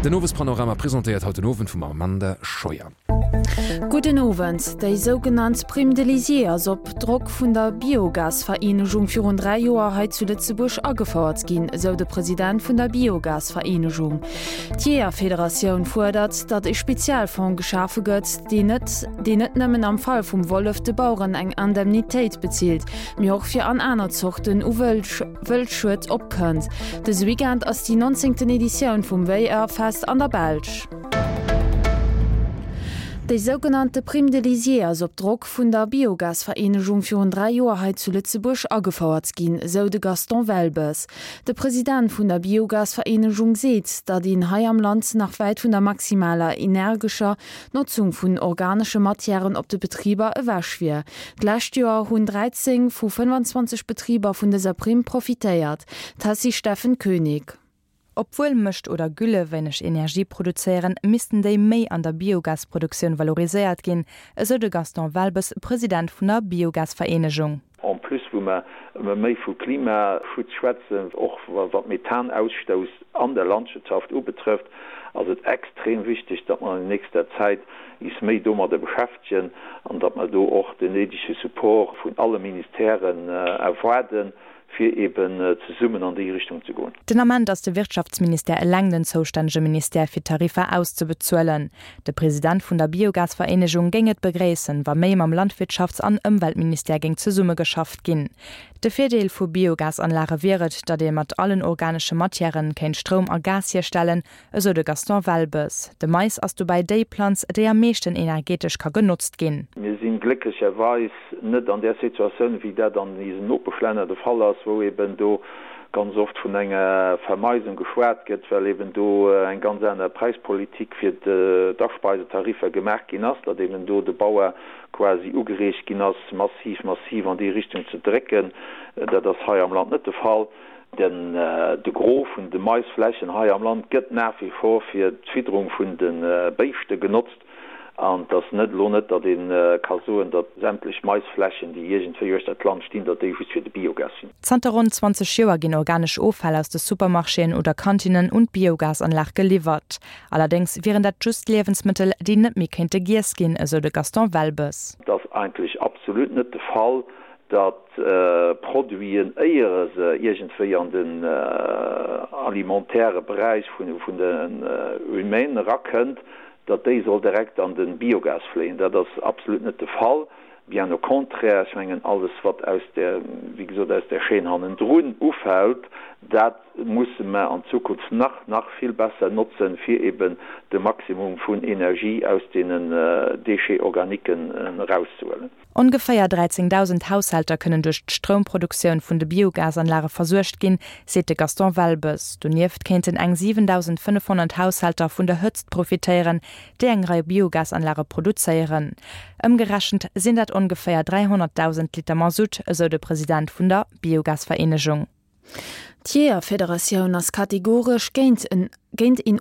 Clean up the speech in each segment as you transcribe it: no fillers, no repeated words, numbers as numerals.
Den Owespanorama presentéiert haut den Owend vum Amanda Scheuer. Gudden Owend. Déi sougenannt Prime de lisier ass op Drock vun der Biogasvereenegung virun 3 Joer hei zu Lëtzebuerg agefouert ginn, esou de President vun der Biogasvereenegung. D'Jeeërfederatioun fuerdert, datt e Spezialfong geschafe gëtt, deen net deen net nëmmen am Fall vum Wollef de Baueren eng Indemnitéit bezilt, mee och fir an aner Zorten u Wëldschued opkënnt. Dëse Weekend ass déi nonzéngten Editioun vum Wéierfest an der Belsch. Déi sougenannte Prime de lisier ass op Drock vun der Biogasvereenegung virun 3 Joer hei zu Lëtzebuerg agefouert ginn, esou de Gaston Welbes. De President vun der Biogasvereenegung seet, datt een hei am Land nach wäit vun der maximaler energescher Notzung vun organesche Matièren op de Betriber ewech wier. D'lescht Joer hunn 13 vu 25 Betriber vun dëser Primm profitéiert. D'Tessy Steffen Koenig. Obwuel Mëscht oder Gülle wéineg Energie produzéieren, missten déi méi an der Biogasproduktioun valoriséiert ginn, esou de Gaston Welbes, President vun der Biogasvereenegung. En plus, wou mer ëmmer méi vu Klimaschutz schwätzen, och wat Methanausstouss an der Landwirtschaft ubetrëfft, ass et extrem wichteg, datt mer an nächster Zäit is méi domadder beschäftegen an datt mer do och den néidege Support vun alle Ministèren erwaarden, fir eben zesummen an déi Richtung ze goen. Den Ament ass de Wirtschaftsministère eleng den zoustännege Ministère fir d'Tariffer auszebezuelen. De President vun der Biogasvereenegung géing et begréissen, wa méi mam Landwirtschafts an Ëmweltministère géing zesummegeschafft ginn. De Virdeel vu Biogasanlage wier et, datt ee mat allen organesche Matièren kéint Stroum a Gas hierstellen, esou de Gaston Welbes. De Mais ass dobäi déi Planz, déi am meeschten energetesch ka genotzt ginn. Mir si glécklecherweis net an där Situatioun, wéi dat an isen Nopeschlänner de Fall ass, wou eben do ganz oft vun enger Vermeisung geschwat gëtt, well eben do eng ganz aner Präispolitik fir d'Aspeisetariffer gemaach ginn ass, datt eben do de Bauer quasi ugereegt ginn ass, massiv, massiv an déi Richtung ze drécken. Dat ass hei am Land net de Fall. Den de Gros vun de Maisflächen hei am Land gëtt nach wie vor fir d'Fidderung vun de Béischte genotzt. An et ass net elo net, datt ee ka soen, datt sämtlech Maisflächen, déi iergendwéi uechter d'Land stinn, datt déi just fir de Biogas sinn. Zanter ronn 20 Joer ginn organesch Offäll aus de Supermarchéen oder Kantinnen un d'Biogasanlag geliwwert. Allerdéngs wieren dat just Liewensmëttel, déi net méi kéinte giess ginn, esou de Gaston Welbes. Et ass eigentlech absolut net de Fall, datt Produiten, éiere se iergendwéi an den alimentaire Beräich vun den Humainen erakënnt, datt déi soll direkt an de Biogas fléien. Dat ass absolut net de Fall, bien au contraire. Ech mengen, alles wat aus där, wéi gesot, aus där Chaîne hannendrun ufält, dat musse mer an Zukunft nach, nach vill besser notzen, fir eben de Maximum vun Energie aus deenen Déchets organiquen erauszehuelen. Ongeféier 13.000 Haushälter kënnen duerch d'Stroumproduktioun vun de Biogasanlage versuergt ginn, seet de Gaston Welbes. Donieft kéinten eng 7.500 Haushälter vun der Hëtzt profitéieren, déi eng Rei Biogasanlage produzéieren. Ëmgerechent sinn dat ongeféier 300.000 Liter Masutt, esou de President vun der Biogasvereenegung. D'Jeeërfederatioun ass kategoresch géint en géint een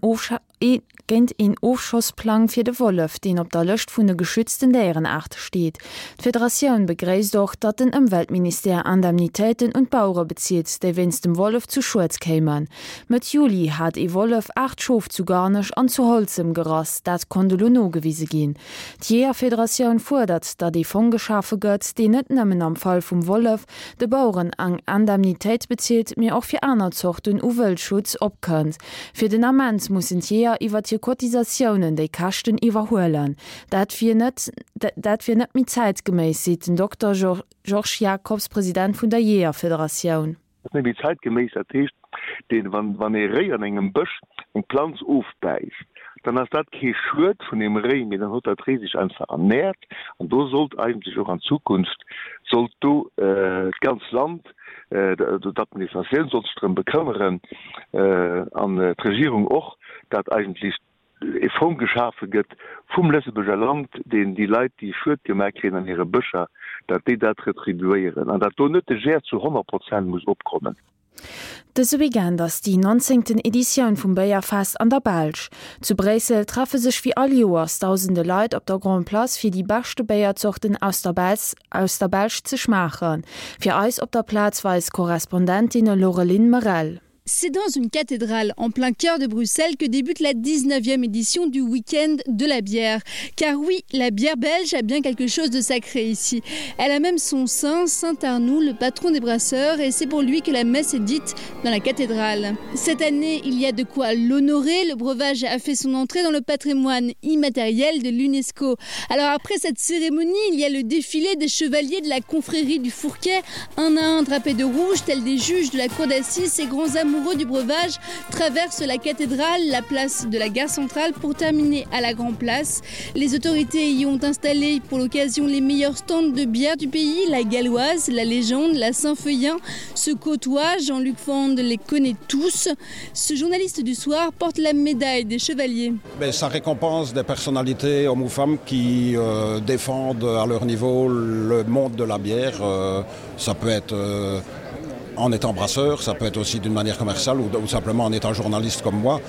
géint een Ofschossplang fir de Wollef, deen op der Lëscht vun de geschützten Déierenaarte steet. D'Federatioun begréisst och, datt den Ëmweltministère Indemnitéiten un d'Bauere bezilt, déi wéinst dem Wollef zu Schued kéimen. Mëtt Juli hat ee Wollef 8 Schof zu Garnech an zu Holzem gerass, dat konnt elo nogewise ginn. D'Jeeërfederatioun fuerdert, datt ee Fong geschafe gëtt, deen net nëmmen am Fall vum Wollef, de Baueren eng Indemnitéit bezilt, mee och fir aner Zorten u Wëldschutz opkënnt. Fir den Ament mussen d'Jeeër iwwert hir Cotisatiounen déi Käschten iwwerhuelen. Dat wier net dat wier net méi zäitgeméiss, seet den Dokter Georges Jacobs, President vun der Jeeërfederatioun. Dat ass net méi zäitgeméiss. Dat heescht, deen, wann, wann ee Réi an engem Bësch eng Planz ofbäisst, dann ass dat kee Schued vun deem Réi, mee dann huet dat Réi sech einfach ernährt. An do sollt eigentlech och an Zukunft, sollt do d'ganz Land, d'Administratioun sollt sech drëm bekëmmeren an d'Regierung och, dat eigentlech e Fong geschafe gëtt vum Lëtzebuerger Land, deen déi Leit, déi Schued gemaach kréien an hire Bëscher, datt déi dat retribuéieren an datt do net de Gère zu 100 Prozent muss opkommen. Dëse Weekend ass déi nonzéngten Editioun vum Béierfest an der Belsch. Zu Bréissel treffe sech wéi all Joers dausende Leit op der Grand Place fir déi beschte Béierzorten aus der aus der Belsch ze schmaachen. Fir eis op der Plaz war eis Korrespondentin Laureline Merel. C'est dans une cathédrale en plein cœur de Bruxelles que débute la 19e édition du week-end de la bière. Car oui, la bière belge a bien quelque chose de sacré ici. Elle a même son saint, Saint Arnoux, le patron des brasseurs, et c'est pour lui que la messe est dite dans la cathédrale. Cette année, il y a de quoi l'honorer. Le breuvage a fait son entrée dans le patrimoine immatériel de l'UNESCO. Alors après cette cérémonie, il y a le défilé des chevaliers de la confrérie du Fourquet, un à un drapé de rouge, tel des juges de la cour d'assises et grands amoureux amoureux du breuvage traverse la cathédrale, la place de la gare centrale pour terminer à la Grand Place. Les autorités y ont installé pour l'occasion les meilleurs stands de bière du pays, la galloise, la légende, la Saint-Feuillin se côtoie, Jean-Luc Fand les connaît tous. Ce journaliste du soir porte la médaille des chevaliers. Mais ça récompense des personnalités hommes ou femmes qui euh, défendent à leur niveau le monde de la bière. Euh, ça peut être euh, en étant brasseur, ça peut être aussi d'une manière commerciale ou, ou simplement en étant journaliste comme moi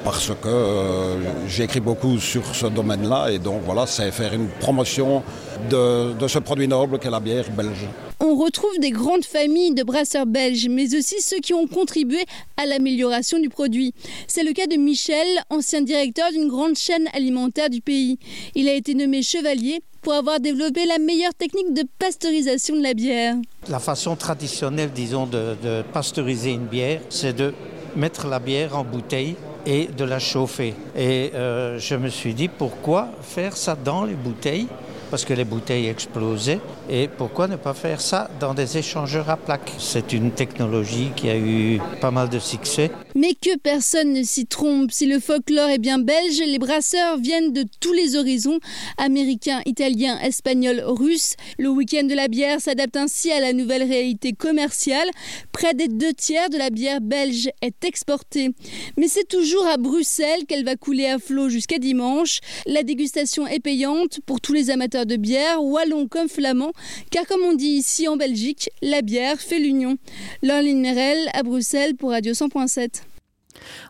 parce que euh, j'écris beaucoup sur ce domaine là et donc voilà c'est faire une promotion de, de ce produit noble qu'est la bière belge. On retrouve des grandes familles de brasseurs belges, mais aussi ceux qui ont contribué à l'amélioration du produit. C'est le cas de Michel, ancien directeur d'une grande chaîne alimentaire du pays. Il a été nommé chevalier pour avoir développé la meilleure technique de pasteurisation de la bière. La façon traditionnelle disons de, de pasteuriser une bière, c'est de mettre la bière en bouteille et de la chauffer. Et euh, je me suis dit pourquoi faire ça dans les bouteilles parce que les bouteilles explosaient et pourquoi ne pas faire ça dans des échangeurs à plaques C'est une technologie qui a eu pas mal de succès. Mais que personne ne s'y trompe, si le folklore est bien belge, les brasseurs viennent de tous les horizons, américains, italiens, espagnols, russes. Le week-end de la bière s'adapte ainsi à la nouvelle réalité commerciale. Près des deux tiers de la bière belge est exportée. Mais c'est toujours à Bruxelles qu'elle va couler à flot jusqu'à dimanche. La dégustation est payante pour tous les amateurs de bière, wallon comme flamand, car comme on dit ici en Belgique, la bière fait l'union. Lorline Merel à Bruxelles pour Radio 100.7.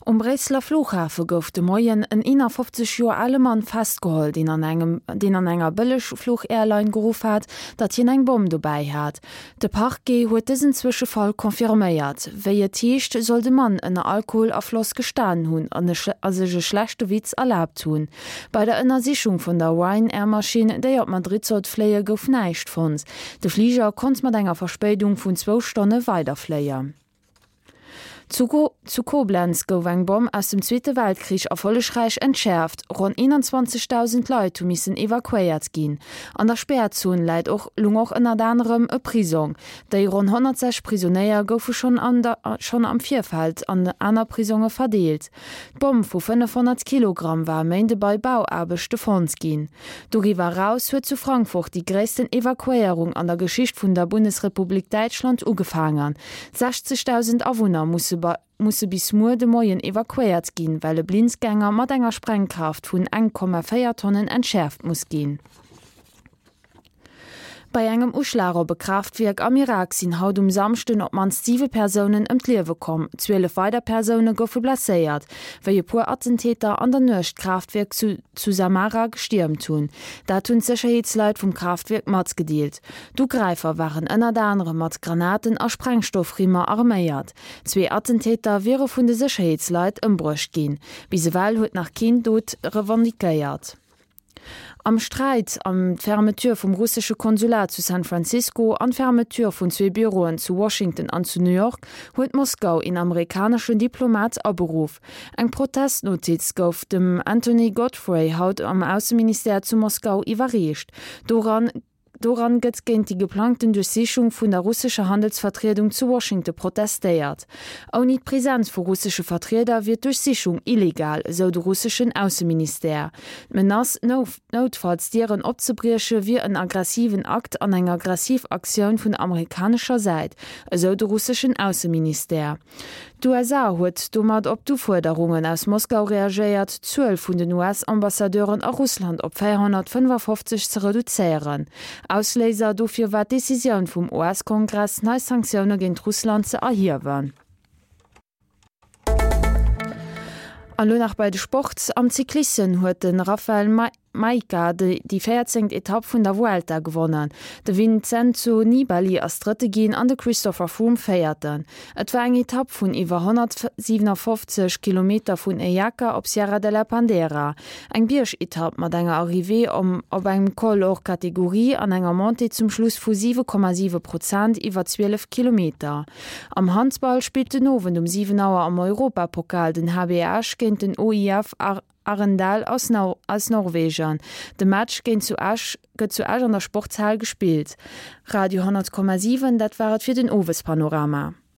Um Bréisseler Flughafe gouf de Moien en 51 Joer ale Mann festgeholl, deen an engem deen an enger Bëllegfluch-Airline geruff hat, datt hien eng Bomm dobäi hat. De Parquet huet dësen Zwëschefall confirméiert. Wéi et heescht, soll de Mann ënner Alkoholafloss gestanen hunn an a sech e schlechte Witz erlaabt hunn. Bei der Ënnersichung vun der Ryanair-Maschinn, déi op Madrid sollt fléie, gouf näischt fonnt. De Fliger konnt mat enger Verspéidung vun zwou Stonne weiderfléien. Zu Koblenz gouf eng Bomm aus dem Zweete Weltkrich erfollegräich entschäerft. Ronn 21.000 Leit hu missen evakuéiert ginn. An der Spärzon läit och lung och ënnert anerem e Prisong. Déi ronn 106 Prisonéier goufe schonn schonn am Virfeld an aner Prisonge verdeelt. D'Bomm vu 500 Kilogramm war e Méinde bei Bauaarbechte fonnt ginn. Doriwwer eraus huet zu Frankfurt déi gréissten Evakuéierung an der Geschicht vun der Bundesrepublik Däitschland ugefaangen. 60.000 Awunner musse musse bis muer de Moien evakuéiert ginn, well e Blindgänger mat enger Sprengkraaft vun 1,4 Tonnen entschäerft muss ginn. Bei engem Uschlag op e Kraaftwierk am Irak sinn haut um Samschden op d'mannst siwe Persounen ëm d'Liewe komm. 12 weider Persoune goufe blesséiert, wéi e puer Attentäter an der Nuecht d'Kraaftwierk zu zu Samara gestiermt hunn. Dat hunn d'Sécherheetsleit vum Kraaftwierk matgedeelt. D'Ugräifer waren ënnert anerem mat Granaten a Sprengstoffrimmer arméiert. Zwee Attentäter wiere vun de Sécherheetsleit ëmbruecht ginn. Bis ewell huet nach keen d'Dot revendiquéiert. Am Sträit ëm d'Fermeture vum russesche Konsulat zu San Francisco an d'Fermeture vun zwee Büroen zu Washington an zu New York huet Moskau een amerikaneschen Diplomat aberuff. Eng Protestnotiz gouf dem Anthony Godfrey haut am Ausseministère zu Moskau iwwerreecht. Doran Doran gëtt géint déi geplangten Duerchsichung vun der russescher Handelsvertriedung zu Washington protestéiert. Ouni d'Presenz vu russesche Vertrieder wier d'Duerchsichung illegal, esou de russeschen Ausseministère. D'Menace, noutfalls d'Dieren opzebrieche wier en aggressiven Akt an eng aggressiv Aktioun vun der amerikanescher Säit, esou de russeschen Ausseministère. D'USA huet domat op d'Ufuerderungen aus Moskau reagéiert, d'Zuel vun den US-Ambassadeuren a Russland op 455 ze reduzéieren. Ausléiser dofir war d'Decisioun vum US-Kongress, nei Sanktioune géint Russland ze erhiewen. An elo nach bei de Sport. Am Cyclissem huet de Raphael. Majka déi véierzéngt Etapp vun der Vuelta gewonnen. De Vincenzo Nibali ass Drëtte ginn an de Christopher Froome Véierten. Et war eng Etapp vun iwwer 157 Kilometer vun Eyaca op Sierra de la Pandera. Eng Biergetapp mat enger Arrivée om op engem Col hors catégorie an enger Montée zum Schluss vu 7,7 Prozent iwwer 12 Kilometer. Am Handball spillt den Owend um 7 Auer am Europapokal den HB Esch géint den OIF Arendal aus Norwegen. De Match géint zu Esch gëtt zu Esch an der Sportshal gespillt. Radio 10,7 Dat war et fir den Owespanorama.